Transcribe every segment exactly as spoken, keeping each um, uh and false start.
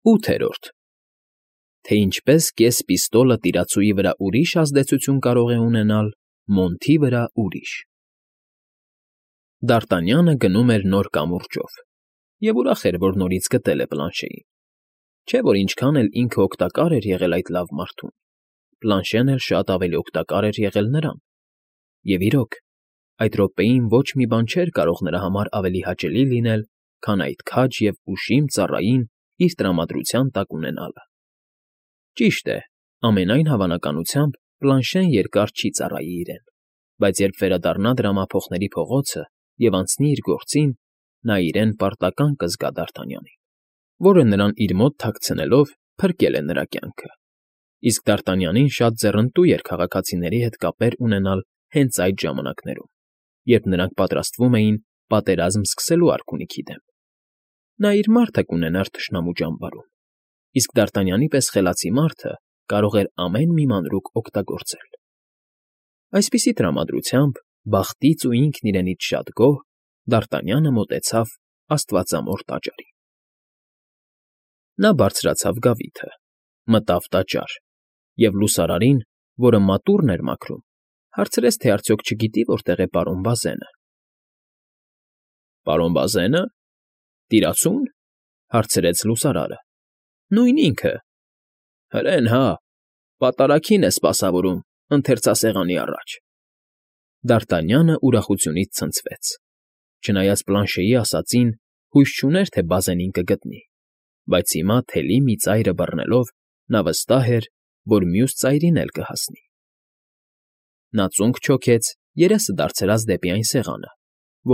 ՈՒԹԵՐՈՐԴ Թե ինչպես կես պիստոլը տիրացուի վրա ուրիշ ազդեցություն կարող է ունենալ, մոնթի վրա՝ ուրիշ։ Դ'Արտանյանը գնում էր նոր կամուրջով և ուրախ էր, որ նորից գտել է պլանշեին, չէ՞ որ ինչքան էլ ինքը օգտակար էր եղել այդ լավ մարդուն, պլանշեն էլ շատ ավելի օգտակար էր եղել նրան, և իրոք, այդ րոպեին ոչ մի բան չէր կարող նրա համար ավելի հաճելի լինել, քան այդ քաջ և ուշիմ ծառային իր տրամադրության տակ ունենալը։ Ճիշտ է, ամենայն հավանականությամբ պլանշեն երկար չի ծառայի իրեն, բայց երբ վերադառնա դրամափոխների փողոցը և անցնի իր գործին, նա իրեն պարտական կզգա Դ'Արտանյանին, որը նրան իր մոտ թաքցնելով փրկել է նրա կյանքը, իսկ Դ'Արտանյանին շատ ձեռնտու էր քաղաքացիների հետ կապեր ունենալ հենց այդ ժամանակներում, երբ նրանք պատրաստվում էին պատերազմ սկսելու արքունիքի դեմ։ Նա իր մարդը կունենար թշնամու ճամբարում, իսկ Դ'Արտանյանի պես խելացի մարդը կարող էր ամեն մի մանրուք օգտագործել։ Այսպիսի տրամադրությամբ, բախտից ու ինքն իրենից շատ գոհ, Դ'Արտանյանը մոտեցավ աստվածամոր տաճարին։ Նա բարձրացավ գավիթը, մտավ տաճար և լուսարարին, որը մատուռն էր մաքրում, հարցրեց, թե արդյոք չգիտի որտեղ է պարոն Բազենը։ ֊ Պարոն Բազե՞նը, տիրացու՞ն,֊ հարցրեց լուսարարը։ ֊ Նույն ինքը։ ֊ Հրեն հա, պատարագին է սպասավորում ընթերցասեղանի առաջ։ Դ'Արտանյանը ուրախությունից ցնցվեց. չնայած պլանշեի ասածին, հույս չուներ, թե Բազենին կգտնի, բայց հիմա թելի մի ծայրը բռնելով նա վստահ էր, որ մյուս ծայրին էլ կհասնի։ Նա ծունկ չոքեց, երեսը դարձրած դեպի այն սեղանը,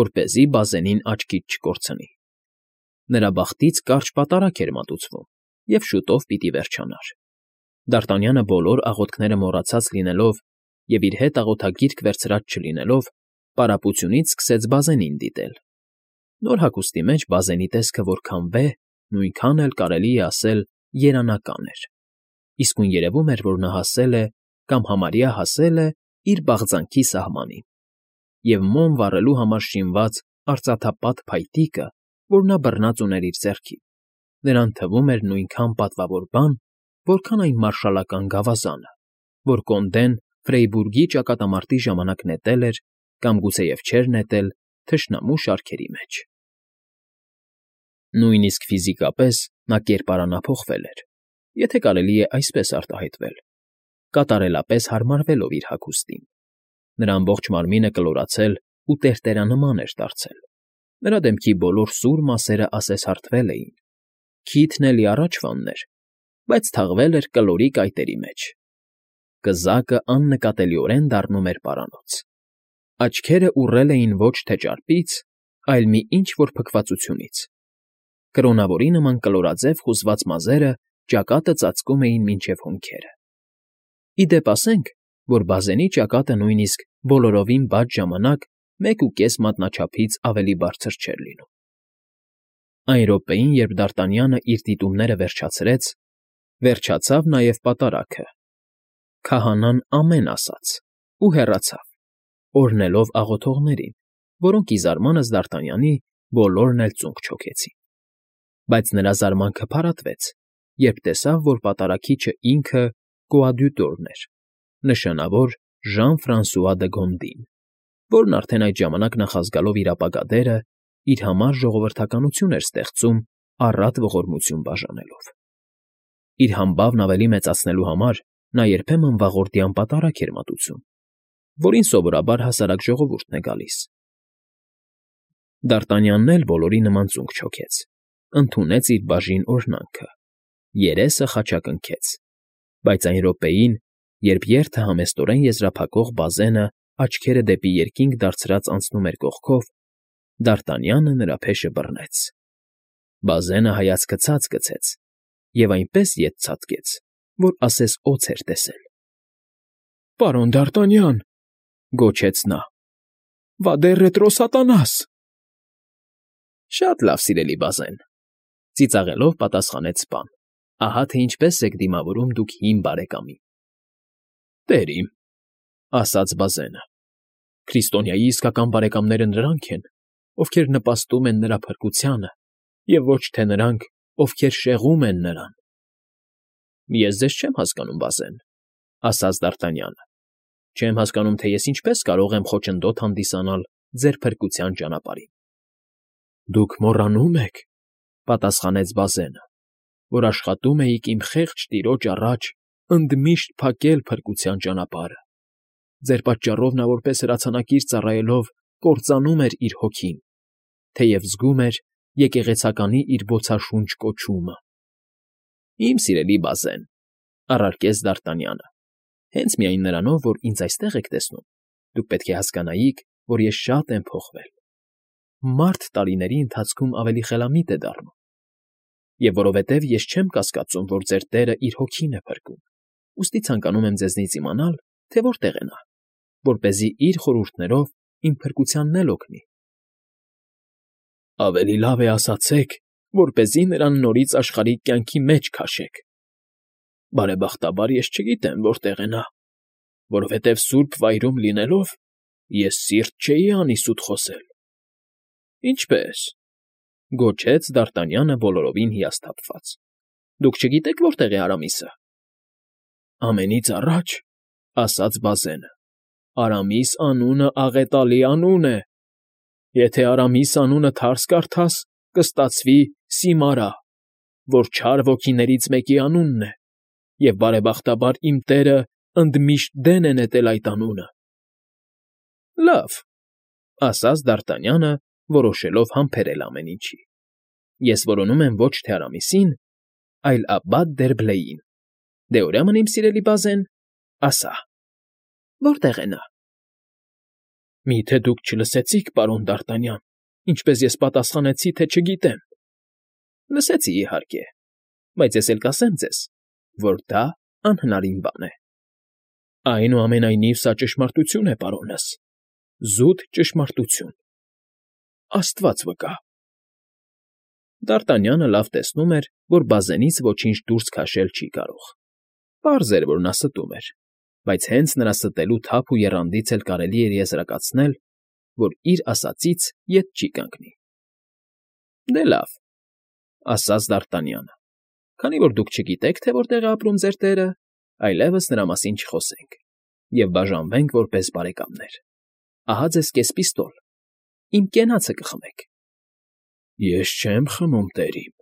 որպեսզի Բազենին աչքից չկորցնի։ Նրա բախտից կարճ պատարագ էր մատուցվում և շուտով պիտի վերջանար։ Դ'Արտանյանը բոլոր աղոթքները մոռացած լինելով և իր հետ աղոթագիրք վերցրած չլինելով, պարապությունից սկսեց Բազենին դիտել։ Նոր հագուստի մեջ Բազենի տեսքը որքան վեհ, նույնքան էլ, կարելի է ասել, երանական էր, իսկույն երևում էր, որ նա հասել է կամ համարյա հասել է իր բաղձանքի սահմանին, և մոմ վառելու համար շինված արծաթապատ փայտիկը, որ նա բռնած ուներ իր ձեռքին, նրան թվում էր նույնքան պատվավոր բան, որքան այն մարշալական գավազանը, որ կոնդեն Ֆրեյբուրգի ճակատամարտի ժամանակ նետել էր կամ գուցեև չէր նետել թշնամու շարքերի մեջ։ Նույնիսկ ֆիզիկապես նա կերպարանափոխվել էր, եթե կարելի է այսպես արտահայտվել, կատարելապես հարմարվելով իր հագուստին։ Նրա ամբողջ մարմինը կլորացել ու տերտերանման էր դարձել, նրա դեմքի բոլոր սուր մասերը ասես հարթվել էին, քիթն էլի առաջվանն էր, բայց թաղվել էր կլորի կայտերի մեջ։ Կզակը աննկատելիորեն դառնում էր պարանոց։ Աչքերը ուռել էին ոչ թե ճարպից, այլ մի ինչ֊որ փքվածությունից։ Կրոնավորի նման կլորաձև խուզված մազերը ճակատը ծածկում էին մինչև հոնքերը։ Ի դեպ ասենք, որ Բազենի ճակատը նույնիսկ բոլորովին բաց ժամանակ մեկ ու կես մատնաչափից ավելի բարձր չէր լինում։ Այն րոպեին, երբ Դ'Արտանյանը իր դիտումները վերջացրեց, վերջացավ նաև պատարագը։ Քահանան ամեն ասաց ու հեռացավ, օրհնելով աղոթողներին, որոնք ի զարմանք Դ'Արտանյանի բոլորն էլ ծունկ չոքեցին։ Բայց նրա զարմանքը փարատվեց, երբ տեսավ, որ պատարագիչը ինքը կոադյուտորն էր, նշանավոր Ժան֊Ֆրանսուଆ դը Գոնդին, որն արդեն այդ ժամանակ նախազգալով իր ապագա դերը, իր համար ժողովրդականություն էր ստեղծում առատ ողորմություն բաժանելով։ Իր համբավն ավելի մեծացնելու համար նա երբեմն վաղորդյան պատարագ էր մատուցում, որին սովորաբար հասարակ ժողովուրդն է գալիս։ Դ'Արտանյանն էլ բոլորի նման ծունկ չոքեց, ընդունեց իր բաժին օրհնանքը, երեսը խաչակնքեց, բայց այն րոպեին, երբ երթը համեստորեն եզրափակող Բազենը աչքերը դեպի երկինք դարձրած անցնում էր կողքով, Դ'Արտանյանը նրա փեշը բռնեց։ Բազենը հայացքը ցած գցեց և այնպես ետ ցատկեց, որ ասես օձ էր տեսել։ ֊ Պարոն Դ'Արտանյան,֊ գոչեց նա,֊ վադեր ռետրո սատանաս… Շատ լավ, սիրելի Բազեն,֊ ծիծաղելով պատասխանեց սպան,֊ ահա թե ինչպես եք դիմավորում դուք հին բարեկամին։ ֊ Տեր իմ,֊ ասաց Բազենը,֊ քրիստոնյայի իսկական բարեկամները նրանք են, ովքեր նպաստում են նրա փրկությանը, և ոչ թե նրանք, ովքեր շեղում են նրան։ ֊ Ես ձեզ չեմ հասկանում, բազեն,֊ ասաց Դ'Արտանյանը։ Չեմ հասկանում, թե ես ինչպես կարող եմ խոչընդոտ հանդիսանալ ձեր փրկության ճանապարհին։ ֊ Դուք մոռանում եք,֊ պատասխանեց Բազենը,֊ որ աշխատում էիք իմ խեղճ տիրոջ առաջ ընդմիշտ փակել փրկության ճանապարհը։ Ձեր պատճառով նա որպես հրացանակիր ծառայելով կործանում էր իր հոգին, թեև զգում էր եկեղեցականի իր բոցաշունչ կոչումը։ ֊ Իմ սիրելի Բազեն,֊ առարկեց Դ'Արտանյանը,֊ հենց միայն նրանով, որ ինձ այստեղ եք տեսնում, դուք պետք է հասկանայիք, որ ես շատ եմ փոխվել։ Մարդ տարիների ընթացքում ավելի խելամիտ է դառնում։ Եվ որովհետև ես չեմ կասկածում, որ ձեր տերը իր հոգին է փրկում, ուստի ցանկանում եմ ձեզնից իմանալ, թե որտեղ է նա, որպեսզի իր խորհուրդներով իմ փրկությանն էլ օգնի։ ֊ Ավելի լավ է ասացեք, որպեսզի նրան նորից աշխարհիկ կյանքի մեջ քաշեք։ Բարեբախտաբար ես չգիտեմ որտեղ է նա, որովհետև սուրբ վայրում լինելով ես սիրտ չէի անի սուտ խոսել։ ֊ Ինչպե՞ս,֊ գոչեց Դ'Արտանյանը բոլորովին հիասթափված,֊ դուք չգիտեք որտեղ է Արամիսը։ ֊ Ամենից առաջ,֊ ասաց Բազենը,֊ Արամիս անունը աղետալի անուն է։ Եթե Արամիս անունը թարս կարդաս, կստացվի Սիմարա, որ չար ոգիներից մեկի անունն է, և բարեբախտաբար իմ տերը ընդմիշտ դեն է նետել այդ անունը։ ֊ Լավ,֊ ասաց Դ'Արտանյանը, որոշելով համբերել ամեն ինչի,֊ ես որոնում եմ ոչ թե Արամիսին, այլ Աբբատ֊դերբլեյին։ Դե ուրեմն, իմ սիրելի Բազեն, ասա, որտե՞ղ է նա։ ֊ Մի՞թե դուք չլսեցիք, պարոն Դ'Արտանյան, ինչպես ես պատասխանեցի, թե չգիտեմ։ ֊ Լսեցի, իհարկե, բայց ես էլ կասեմ ձեզ, որ դա անհնարին բան է։ ֊ Այնուամենայնիվ սա ճշմարտություն է, պարոնս, զուտ ճշմարտություն։ Աստված վկա։ Դ'Արտանյանը լավ տեսնում էր, որ Բազենից ոչինչ դուրս քաշել չի կարող։ Պարզ էր, որ նա ստում էր, բայց հենց նրա ստելու թափ ու եռանդից էլ կարելի էր եզրակացնել, որ իր ասածից ետ չի կանգնի։ ֊ Դե լավ,֊ ասաց Դ'Արտանյանը,֊ քանի որ դուք չգիտեք, թե որտեղ է ապրում ձեր տերը, այլևս նրա մասին չխոսենք և բաժանվենք որպես բարեկամներ։ Ահա ձեզ կես պիստոլ, իմ կենացը կխմեք։ ֊ Ես չեմ խմում, տերիմ,֊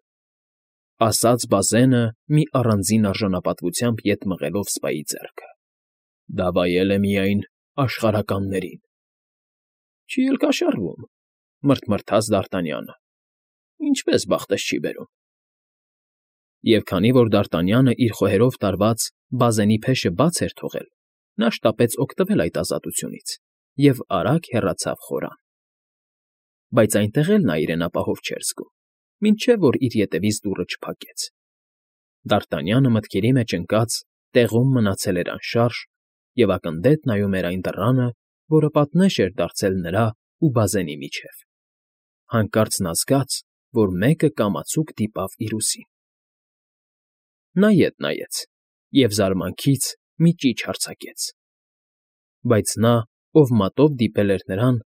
ասաց Բազենը մի առանձին արժանապատվությամբ ետ մղելով սպայի ձեռքը,֊ դա վայել է միայն աշխարհականներին։ ֊ Չի էլ կաշառվում,֊ մռթմռթաց Դ'Արտանյանը,֊ ինչպես բախտս չի բերում։ Եվ քանի որ Դ'Արտանյանը իր խոհերով տարված բազենի փեշը բաց էր թողել, նա շտապեց օգտվել այդ ազատությունից և արագ հեռացավ խորան։ Բայց այնտեղ էլ նա իրեն ապահով չէր զգում, մինչև որ իր ետևից դուռը չփակեց։ Դ'Արտանյանը մտքերի մեջ ընկած տեղում մնացել էր անշարժ և ակնթեթ նայում էր այն դռանը, որը պատնեշ էր դարձել նրա ու Բազենի միջև։ Հանկարծ նա զգաց, որ մեկը կամացուկ դիպավ իր ուսին։ Նա ետ նայեց և զարմանքից մի ճիչ արձակեց։ Բայց նա, ով մատով դիպել էր նրան,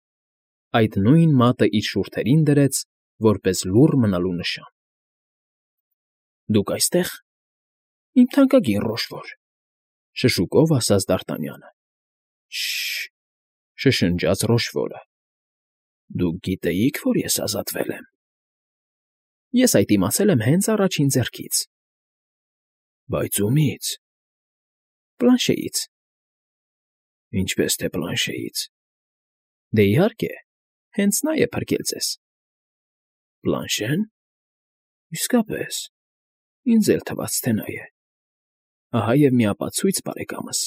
այդ նույն մատը իր շուրթերին դրեց որպես լուռ մնալու նշան։ ֊ Դուք այստե՞ղ, իմ թանկագին Ռոշֆոր,֊ շշուկով ասաց Դ'Արտանյանը։ ֊ Շը՜շ,֊ շշնջաց Ռոշֆորը,֊ դուք գիտեիք, որ ես ազատվել եմ։ ֊ Ես այդ իմացել եմ հենց առաջին ձեռքից։ ֊ Բայց ումի՞ց։ ֊ Պլանշեից։ ֊ Ինչպես թե Պլանշեից։ ֊ Դե, իհարկե, հենց նա է փրկել ձեզ։ ֊ Պլանշե՞ն։ ֊ Իսկապես, ինձ էլ թվաց, թե նա է։ Ահա և մի ապացույց, բարեկամս,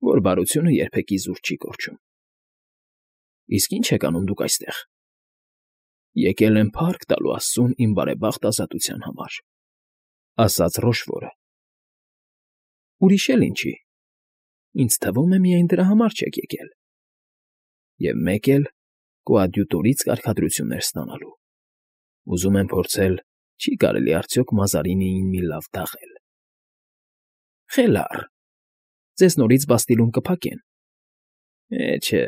որ բարությունը երբեք իզուր չի կորչում։ ֊ Իսկ ի՞նչ եք անում դուք այստեղ։ ֊ Եկել եմ փառք տալու աստծուն իմ բարեբախտ ազատության համար,֊ ասաց Ռոշֆորը։ ֊ Ուրիշ էլ ինչի։ Ինձ թվում է, միայն դրա համար չեք եկել։ ֊ Եվ մեկ էլ կոադյուտորից կարգադրություններ ստանալու։ Ուզում եմ փորձել, չի՞ կարելի արդյոք Մազարինիին մի լավ դաղել։ ֊ Խելառ, ձեզ նորից Բաստիլում կփակեն։ ֊ Է, չէ,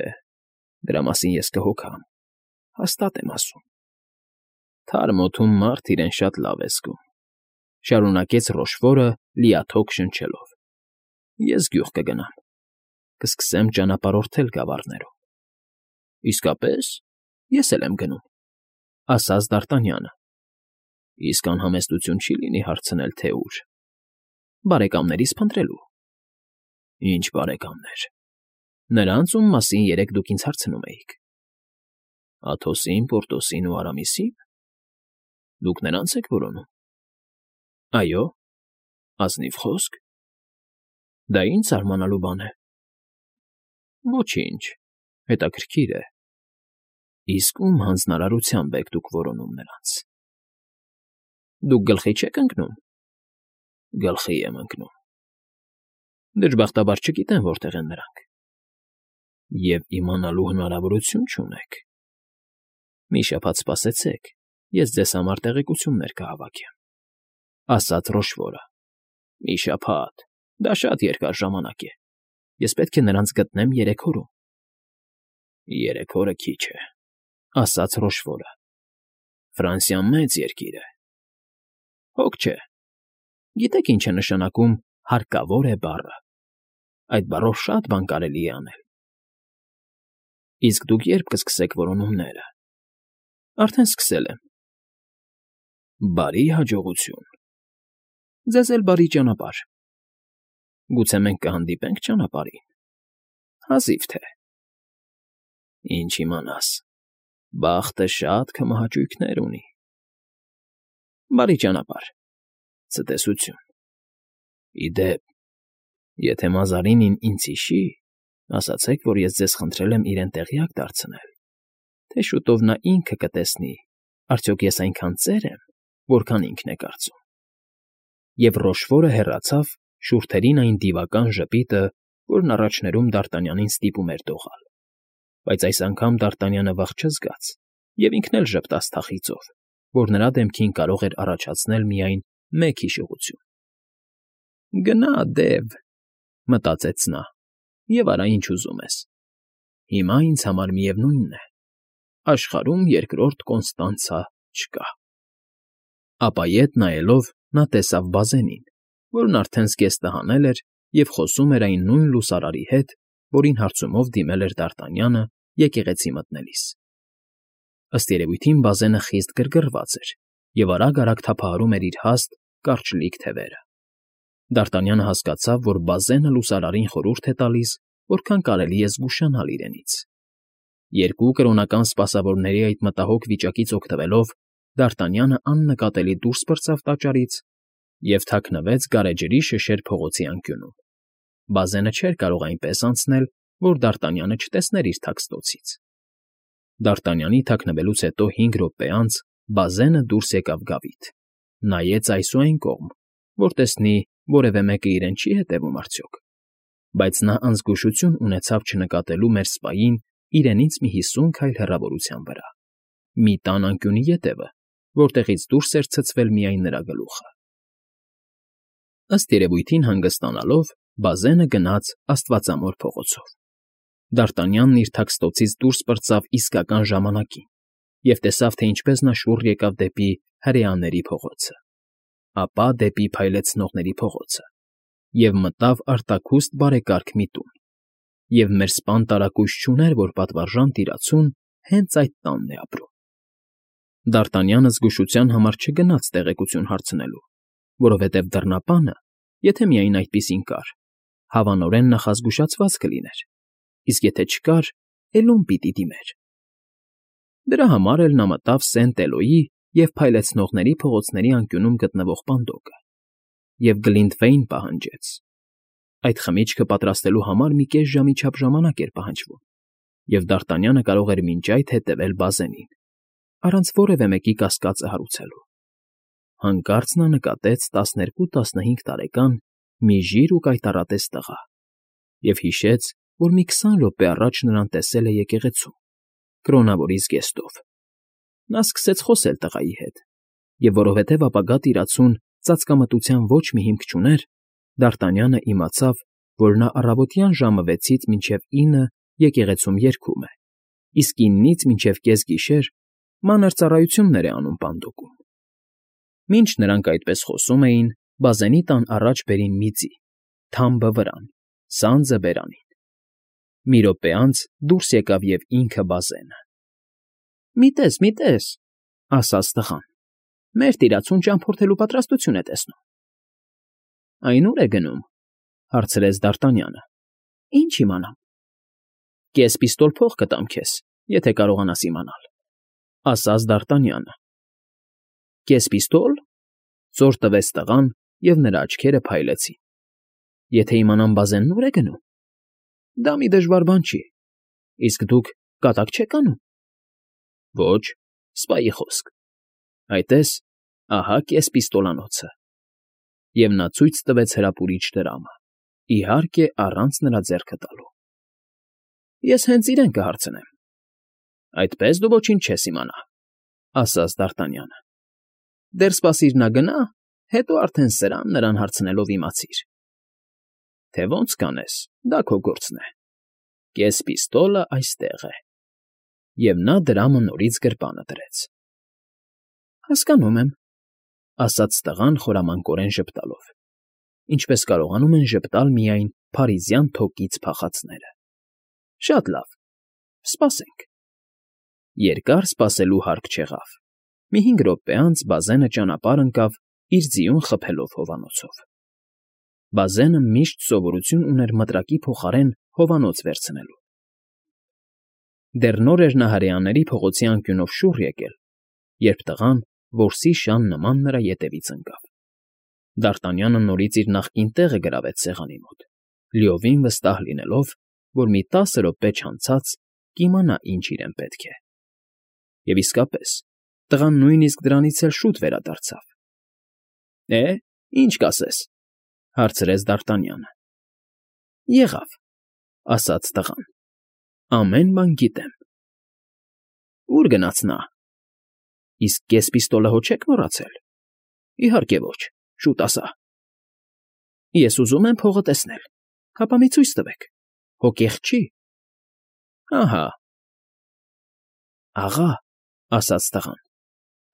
դրա մասին ես կհոգամ, հաստատ եմ ասում։ Թարմ օդում մարդ իրեն շատ լավ է զգում։ Շարունակեց Ռոշֆորը լիաթոք շնչելով։ Ես գյուղ կգնամ, կսկսեմ ճանապարհորդել գավառներով։ Իսկապես, ես էլ եմ գնում, ասաց Դ'Արտանյանը։ Իսկ անհամեստություն չի լինի հարցնել, թե ուր։ Բարեկամներիս փնտրելու։ Ինչ բարեկամներ։ Նրանց, ում մասին երեկ դուք ինձ հարցնում էիք։ Աթոսին, Պորտոսին ու Արամիսի՞ն։ Դուք նրանց եք որոնում։ Այո, ազնիվ խոսք։ Դա ինչ զարմանալու բան է։ Ոչինչ, հետաքրքիր է։ Իսկ ում հանձնարարությամբ եք դուք որոնում նրանց։ Դուք գլխի չեք ընկնում։ Գլխի եմ ընկնում։ Դժբախտաբար չգիտեմ որտեղ են նրանք։ Եվ իմանալու հնարավորություն չունեք։ Մի շաբաթ սպասեցեք, ես ձեզ համար տեղեկություններ կհավաքեմ, ասաց Ռոշվորը։ Մի շաբաթ, դա շատ երկար ժամանակ է։ Ես պետք է նրանց գտնեմ երեք օրում։ Երեք օրը քիչ է, ասաց Ռոշվորը։ Ֆրանսիան մեծ երկիր է։ Հոգ չէ։ Գիտեք ինչ է նշանակում հարկավոր է բառը։ Այդ բառով շատ բան կարելի է անել։ Իսկ դուք երբ կսկսեք որոնումները։ Արդեն սկսել եմ։ Բարի հաջողություն։ Ձեզ էլ բարի ճանապարհ։ Գուցե մենք կհանդիպենք ճանապարհին։ Հազիվ թե։ Ինչ իմանաս, բախտը շատ քմահաճույքներ ունի։ Բարի ճանապարհ։ Ցտեսություն։ Իդեպ, եթե Մազարինին ինձ հիշի, ասացեք, որ ես ձեզ խնդրել եմ իրեն տեղյակ դարձնել, թե շուտով նա ինքը կտեսնի, արդյոք ես այնքան ծեր եմ, որքան ինքն է կարծում։ Եվ Ռոշվորը հեռացավ, շուրթերին այն դիվական ժպիտը, որն առաջներում Դ'Արտանյանին ստիպում էր դողալ։ Բայց այս անգամ Դ'Արտանյանը վախ չզգաց և ինքն էլ ժպտաց թախիծով, որ նրա դեմքին կարող էր առաջացնել միայն մեկ հիշողություն։ Գնա, դև, մտածեց նա, և արա ինչ ուզում ես։ Հիմա ինձ համար միևնույնն է, աշխարհում երկրորդ Կոնստանցա չկա։ Ապա ետ նայելով նա տեսավ Բազենին, որն արդեն զգեստը հանել էր և խոսում էր այն նույն լուսարարի հետ, որին հարցումով դիմել էր Դ'Արտանյանը եկեղեցի մտնելիս։ Ըստ երևույթին Բազենը խիստ գրգռված էր և արագ֊արագ թափահարում էր իր հաստ, կարճլիկ թևերը։ Դ'Արտանյանը հասկացավ, որ Բազենը լուսարարին խորհուրդ է տալիս, որքան կարելի է զգուշանալ իրենից։ Երկու կրոնական սպասավորների այդ մտահոգ վիճակից օգտվելով, Դ'Արտանյանը աննկատելի դուրս պրծավ տաճարից և թաքնվեց գարեջրի շշեր փողոցի անկյունում։ Բազենը չէր կարող այնպես անցնել, որ Դ'Արտանյանը չտեսներ իր թաքստոցից։ Դ'Արտանյանի թաքնվելուց հետո հինգ րոպե անց Բազենը դուրս եկավ գավիթ, նայեց այս ու այն կողմ, որ տեսնի որևէ մեկը իրեն չի հետևում արդյոք, բայց նա անզգուշություն ունեցավ չնկատելու մեր սպային իրենից մի հիսուն քայլ հեռավորության վրա, մի տան անկյունի ետևը, որտեղից դուրս էր ցցվել միայն նրա գլուխը։ Ըստ երևույթին հանգստանալով, Բազենը գնաց Աստվածամոր փողոցով։ Դ'Արտանյանն իր թաքստոցից դուրս պրծավ իսկական ժամանակին և տեսավ, թե ինչպես նա շուռ եկավ դեպի հրեաների փողոցը, ապա դեպի Փայլեցնողների փողոցը և մտավ արտաքուստ բարեկարգ մի տուն, և մեր սպան տարակույս չուներ, որ պատվարժան տիրացուն հենց այդ տանն է ապրում։ Դ'Արտանյանը զգուշության համար չգնաց տեղեկություն հարցնելու, որովհետև դռնապանը, եթե միայն այդպիսին կար, հավանորեն նախազգուշացված կլիներ, իսկ եթե չկար, էլ ում պիտի դիմեր։ Դրա համար էլ նա մտավ Սենտ֊Էլոյի և Փայլեցնողների փողոցների անկյունում գտնվող պանդոկը և Գլինտվեյն պահանջեց։ Այդ խմիչքը պատրաստելու համար մի կես ժամի չափ ժամանակ էր պահանջվում, և Դ'Արտանյանը կարող էր մինչ այդ հետևել Բազենին, առանց որևէ մեկի կասկածը հարուցելու։ Հանկարծ նա նկատեց տասներկու֊տասնհինգ տարեկան մի ժիր ու կայտառատես տղա և հիշեց, որ մի քսան րոպե առաջ նրան տեսել է եկեղեցում, կրոնավորի զգեստով։ Նա սկսեց խոսել տղայի հետ, և որովհետև ապագա տիրացուն ծածկամտության ոչ մի հիմք չուներ, Դ'Արտանյանը իմացավ, որ նա առավոտյան ժամը վեցից մինչև ինը եկեղեցում երգում է, իսկ իննից մինչև կեսգիշեր մանր ծառայություններ է անում պանդոկում։ Մինչ նրանք այդպես խոսում էին, բազենի տան առաջ բերին մի ձի, թամբը վրան, սանձը բերանին։ Մի րոպե անց դուրս եկավ և ինքը բազենը։ ֊ Մի տես, մի տես,֊ ասաց տղան,֊ մեր տիրացուն ճամփորդելու պատրաստություն է տեսնում։ ֊ Այն ո՞ւր է գնում,֊ հարցրեց Դարտանյանը։ ֊ Ինչ իմանամ։ ֊ Կես պիստոլ փող կտամ քեզ, եթե կարողանաս իմանալ,֊ ասաց Դարտանյանը։ ֊ Կես պիստո՞լ,֊ զոր տվեց տղան, և նրա աչքերը փայլեցին։ ֊ Եթե իմանամ բազենն ո՞ւր է գնում։ ֊ Դա մի դժվար բան չի։ Իսկ դուք կատակ չե՞ք անում։ ֊ Ոչ, սպայի խոսք։ Այ տես, ահա կես պիստոլանոցը։ Եվ նա ցույց տվեց հրապուրիչ դրամը, իհարկե, առանց նրա ձեռքը տալու։ ֊ Ես հենց իրեն կհարցնեմ։ ֊ Այդպես դու ոչինչ չես իմանա,֊ ասաց Դարտանյանը։ ֊ Դեռ սպասիր նա գնա, հետո արդեն սրան նրան հարցնելով իմացիր։ ֊ Թե ոնց կանես, դա քո գործն է։ Կես պիստոլը այստեղ է։ Եվ նա դրամը նորից գրպանը դրեց։ ֊ Հասկանում եմ,֊ ասաց տղան խորամանկորեն ժպտալով, ինչպես կարողանում են ժպտալ միայն փարիզյան թոկից փախածները։ ֊ Շատ լավ, սպասենք։ Երկար սպասելու հարկ չեղավ։ Մի հինգ րոպե անց բազենը ճանապարհ ընկավ իր ձիուն խփելով հովանոցով։ Բազենը միշտ սովորություն ուներ մտրակի փոխարեն հովանոց վերցնելու։ Դեռ նոր էր նա հրեաների փողոցի անկյունով շուռ եկել, երբ տղան որսի շան նման նրա ետևից ընկավ։ Դարտանյանը նորից իր նախկին տեղը գրավեց սեղանի մոտ, լիովին վստահ լինելով, որ մի տասը րոպե չանցած կիմանա ինչ իրեն պետք է։ Եվ իսկապես, տղան նույնիսկ դրանից էլ շուտ վերադարձավ։ ֊ Է, ինչ կասես,֊ հարցրեց Դարտանյանը։ ֊ Եղավ,֊ ասաց տղան,֊ ամեն բան գիտեմ։ ֊ Ո՞ւր գնաց նա։ ֊ Իսկ կես պիստոլը հո չեք մոռացել։ ֊ Իհարկե ոչ, շուտ ասա։ ֊ Ես ուզում եմ փողը տեսնել, հապա մի ցույց տվեք, հո կեղծ չի։ ֊ Ահա։ ֊ Աղա,֊ ասաց տղան,֊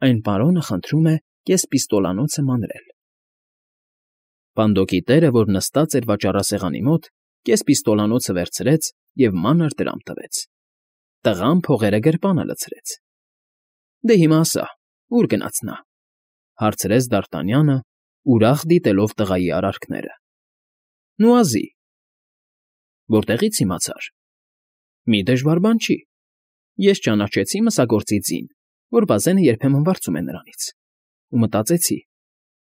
այն պարոնը խնդրում է կես պիստոլանոցը մանրել։ Պանդոկի տերը, որ նստած էր վաճառասեղանի մոտ, կես պիստոլանոցը վերցրեց և մանր դրամ տվեց։ Տղան փողերը գրպանը լցրեց։ ֊ Դե հիմա ասա, ո՞ւր գնաց նա,֊ հարցրեց Դարտանյանը, ուրախ դիտելով տղայի արարքները։ ֊ Նուազի։ ֊ Որտեղի՞ց իմացար։ ֊ Մի դժվար բան չի։ Ես ճանաչեցի մսագործի ձին, որ բազենը երբեմն վարձում է նրանից, ու մտածեցի.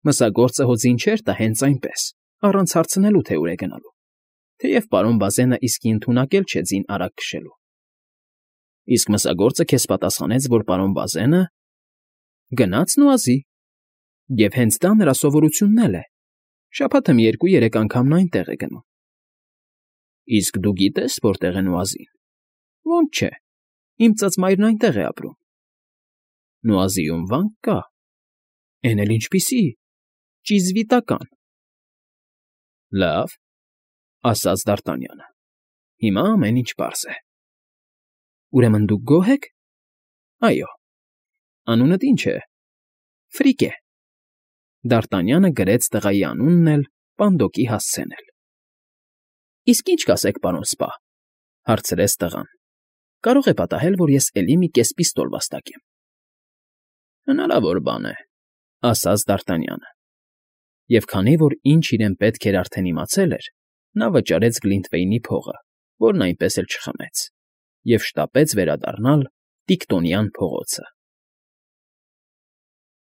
մսագործը հո ձին չէր տա հենց այնպես, առանց հարցնելու, թե ուր է գնալու, թեև պարոն Բազենը իսկի ընդունակ էլ չէ ձին արագ քշելու։ Իսկ մսագործը քեզ պատասխանեց, որ պարոն Բազենը… գնաց Նուազի, և հենց դա նրա սովորությունն էլ է, շաբաթը մի երկու֊երեք անգամ նա այնտեղ է գնում։ ֊ Իսկ դու գիտե՞ս, որտեղ է Նուազին։ ֊ Ոնց չէ, իմ ծծմայրն այնտեղ է ապրում։ ֊ Նուազիում վա՞նք կա։ ֊ Էն էլ ինչպիսի… ճիզվիտական։ ֊ Լավ,֊ ասաց Դարտանյանը,֊ հիմա ամեն ինչ պարզ է։ ֊ Ուրեմն դուք գոհ եք։ ֊ Այո։ ֊ Անունդ ի՞նչ է։ ֊ Ֆրիկե։ Դարտանյանը գրեց տղայի անունն էլ, պանդոկի հասցեն էլ։ ֊ Իսկ ի՞նչ կասեք, պարոն սպա,֊ հարցրեց տղան։ ֊ Կարող է պատահել, որ ես էլի մի կես պիստոլ վաստակեմ։ ֊ Հնարավոր բան է,֊ ասաց Դարտանյանը։ Եվ քանի որ ինչ իրեն պետք էր արդեն իմացել էր, նա վճարեց Գլինտվեյնի փողը, որն այնպես էլ չխմեց, և շտապեց վերադառնալ Տիկտոնյան փողոցը։